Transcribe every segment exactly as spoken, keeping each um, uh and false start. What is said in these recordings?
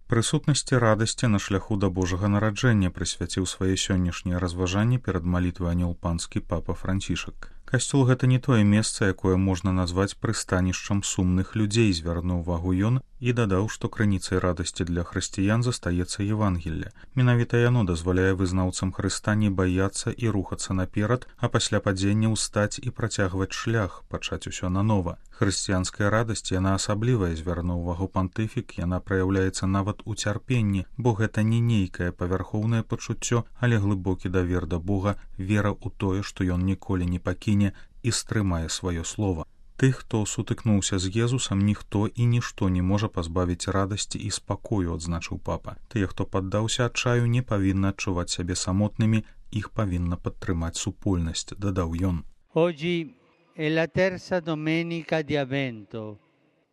Прысутнасці радасці на шляху да Божага нараджэння прысвяціў свае сённяшнія разважанні перад малітвай анёл панскі папа Францішак. Касцёл — гэта не тое месца, якое можна назваць прыстанішчам сумных людзей, звярнуў увагу ён і дадаў, што крыніцай радасці для хрысціян застаецца Евангелле. Менавіта яно дазваляе вызнаўцам Хрыста не баяцца і рухацца наперад, а пасля падзення ўстаць і працягваць шлях, пачаць усё нанова. Хрысціянская радасць, яна асаблівая, звярнуў увагу пантыфік, яна праяўляецца нават у цярпенні, бо гэта не нейкае павярхоўнае пачуццё, але глыбокі давер да Бога, вера ў тое, што ён ніколі не пакіне і стрымае сваё слова. Тых, хто сутыкнуўся з Езусам, ніхто і нішто не можа пазбавіць радасці і спакою, адзначыў папа. Тыя, хто паддаўся адчаю, не павінны адчуваць сябе самотнымі, іх павінна падтрымаць супольнасць, дадаў ён. Oggi è la terza domenica di Avvento,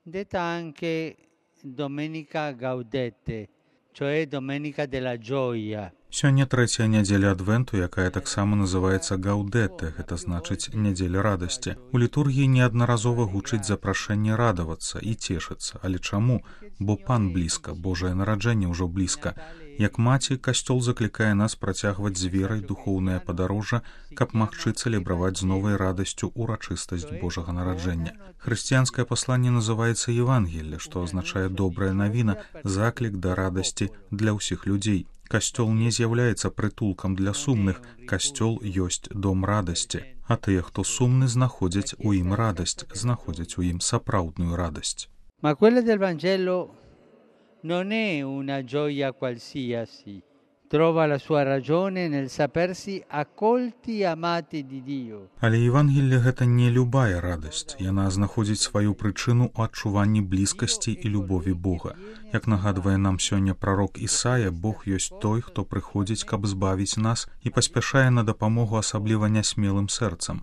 detta anche Domenica Gaudete, cioè Domenica della Gioia. Сёння трэцяя нядзеля адвенту, якая таксама называецца Гаўдэте, гэта значыць нядзеля радасці. У літургіі неаднаразова гучыць запрашэнне радавацца і цешыцца. Але чаму? Бо пан блізка, Божае нараджэнне ўжо блізка. Як маці, касцёл заклікае нас працягваць з верай духоўнае падарожжа, каб магчы цэлебраваць з новай радасцю урачыстасць Божага нараджэння. Хрысціянскае пасланне называецца Евангелле, што азначае добрая навіна, заклік да радасці для ўсіх людзей. Касцёл не з'яўляецца прытулкам для сумных, касцёл ёсць дом радасці. А тыя, хто сумны, знаходзяць у ім радасць, знаходзяць у ім сапраўдную радасць. Ma quella del Vangelo non è una gioia qualsiasi, trova la sua ragione nel sapersi accolti e amati di Dio. Але Евангелле — гэта не любая радасць, яна знаходзіць сваю прычыну ў адчуванні блізкасці і любові Бога. Як нагадвае нам сёння прарок Ісая, Бог ёсць той, хто прыходзіць, каб збавіць нас і паспяшае на дапамогу асабліва нясмелым сэрцам.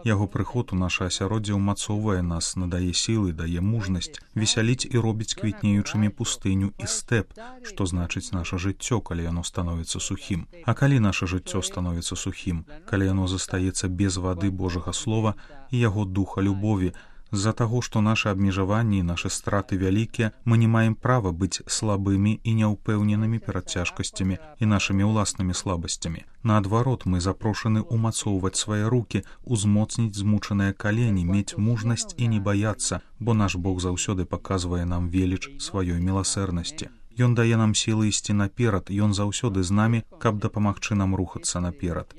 Яго прыход у наша асяроддзе ўмацоўвае нас, надае сілы, дае мужнасць, весяліць і робіць квітнеючымі пустыню і стэп, што значыць наша жыццё, калі яно становіцца сухім. А калі наша жыццё становіцца сухім, калі яно застаецца без вады Божага слова і яго духа любові, з-за таго, што нашы абмежаванні і нашы страты вялікія, мы не маем права быць слабымі і няўпэўненымі перад цяжкасцямі і нашымі ўласнымі слабасцямі. Наадварот, мы запрошаны ўмацоўваць свае рукі, узмоцніць змучаныя калені, мець мужнасць і не баяцца, бо наш Бог заўсёды паказвае нам веліч сваёй міласэрнасці. Ён дае нам сілы ісці наперад, ён заўсёды з намі, каб дапамагчы нам рухацца наперад.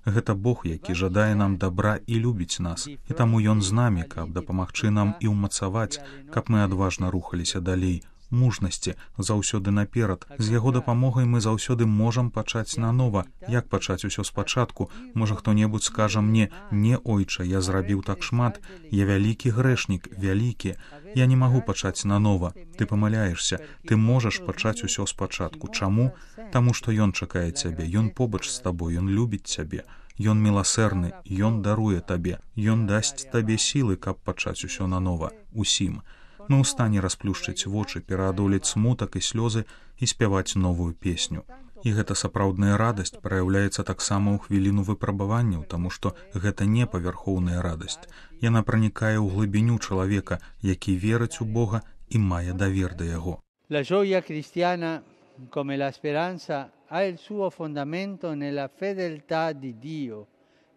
Гэта Бог, які жадае нам добра і любіць нас, і таму ён з намі, каб дапамагчы нам і ўмацаваць, каб мы адважна рухаліся далей. Мужнасці заўсёды наперад. З яго дапамогай мы заўсёды можам пачаць нанова. Як пачаць усё спачатку? Можа, хто-небудзь скажа мне: «Не, ойча, я зрабіў так шмат, я вялікі грэшнік, вялікі. Я не магу пачаць нанова». Ты памыляешся, ты можаш пачаць усё спачатку. Чаму? Таму што ён чакае цябе, ён побач з табой, ён любіць цябе. Ён міласэрны, ён даруе табе, ён дасць табе сілы, каб пачаць усё нанова. Усім. Мы ў стане расплюшчыць вочы, пераадолець смутак і слёзы і спяваць новую песню. І гэта сапраўдная радасць праяўляецца таксама ў хвіліну выпрабаванняў, таму што гэта не павярхоўная радасць. Яна пранікае ў глыбіню чалавека, які верыць у Бога і мае давер да яго. La gioia cristiana, come la speranza, ha il suo fondamento nella fedeltà di Dio,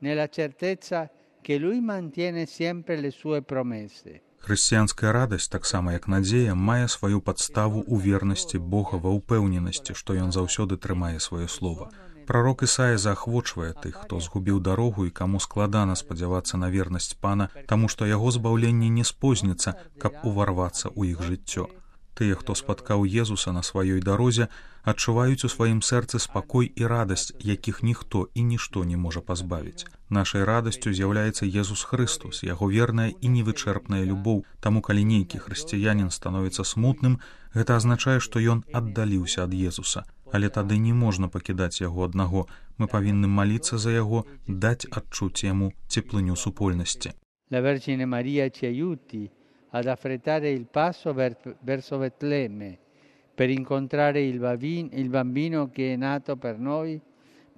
nella certezza che Lui mantiene sempre le sue promesse. Хрысціянская радасць, таксама як надзея, мае сваю падставу ў вернасці Бога, ва ўпэўненасці, што ён заўсёды трымае сваё слова. Прарок Ісая заахвочвае тых, хто згубіў дарогу і каму складана спадзявацца на вернасць Пана, таму што яго збаўленне не спозніцца, каб уварвацца ў іх жыццё. Тыя, хто спаткаў Езуса на сваёй дарозе, адчуваюць у сваім сэрцы спакой і радасць, якіх ніхто і нішто не можа пазбавіць. Нашай радасцю з'яўляецца Езус Хрыстус, яго верная і невычэрпная любоў. Таму, калі нейкі хрысціянін становіцца смутным, гэта азначае, што ён аддаліўся ад Езуса. Але тады не можна пакідаць яго аднаго. Мы павінны маліцца за яго, даць адчуць яму цеплыню супольнасці. La Vergine Maria ci aiuti ad affrettare il passo verso Betlemme per incontrare il bambino, il bambino che è nato per noi,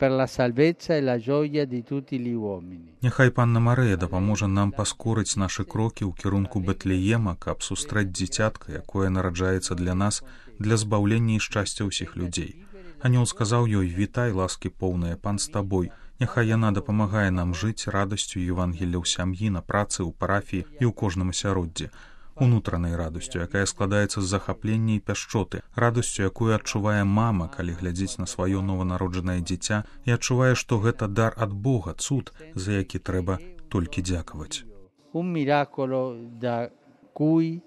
per la salvezza e la gioia di tutti gli uomini. Няхай Панна Марыя дапаможа нам паскорыць нашы крокі ў кірунку Бэтлеема, каб сустрэць дзіцятка, якое нараджаецца для нас, для збаўлення і шчасця ўсіх людзей. Анёл сказаў ёй: «Вітай, ласкі поўная, пан з табой. Няхай яна дапамагае нам жыць радасцю Евангелля ў сям'і, на працы, ў парафіі і ў кожным асяроддзі. Унутранай радасцю, якая складаецца з захаплення і пяшчоты, радасцю, якую адчувае мама, калі глядзіць на сваё нованароджанае дзіця і адчувае, што гэта дар ад Бога, цуд, за які трэба толькі дзякаваць». Un miracolo da cui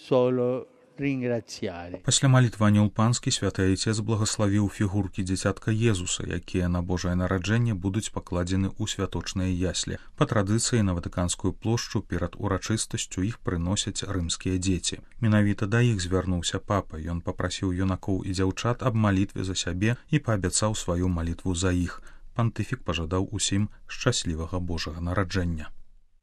solo ringraziare. Пасля малітвы анёл панскі святы Айцец благаславіў фігуркі дзіцятка Езуса, якія на Божае нараджэнне будуць пакладзены ў святочныя яслі. Па традыцыі на Ватыканскую плошчу перад урачыстасцю іх прыносяць рымскія дзеці. Менавіта да іх звярнуўся папа. Ён папрасіў юнакоў і дзяўчат аб малітве за сябе і паабяцаў сваю малітву за іх. Пантыфік пажадаў усім шчаслівага Божага нараджэння.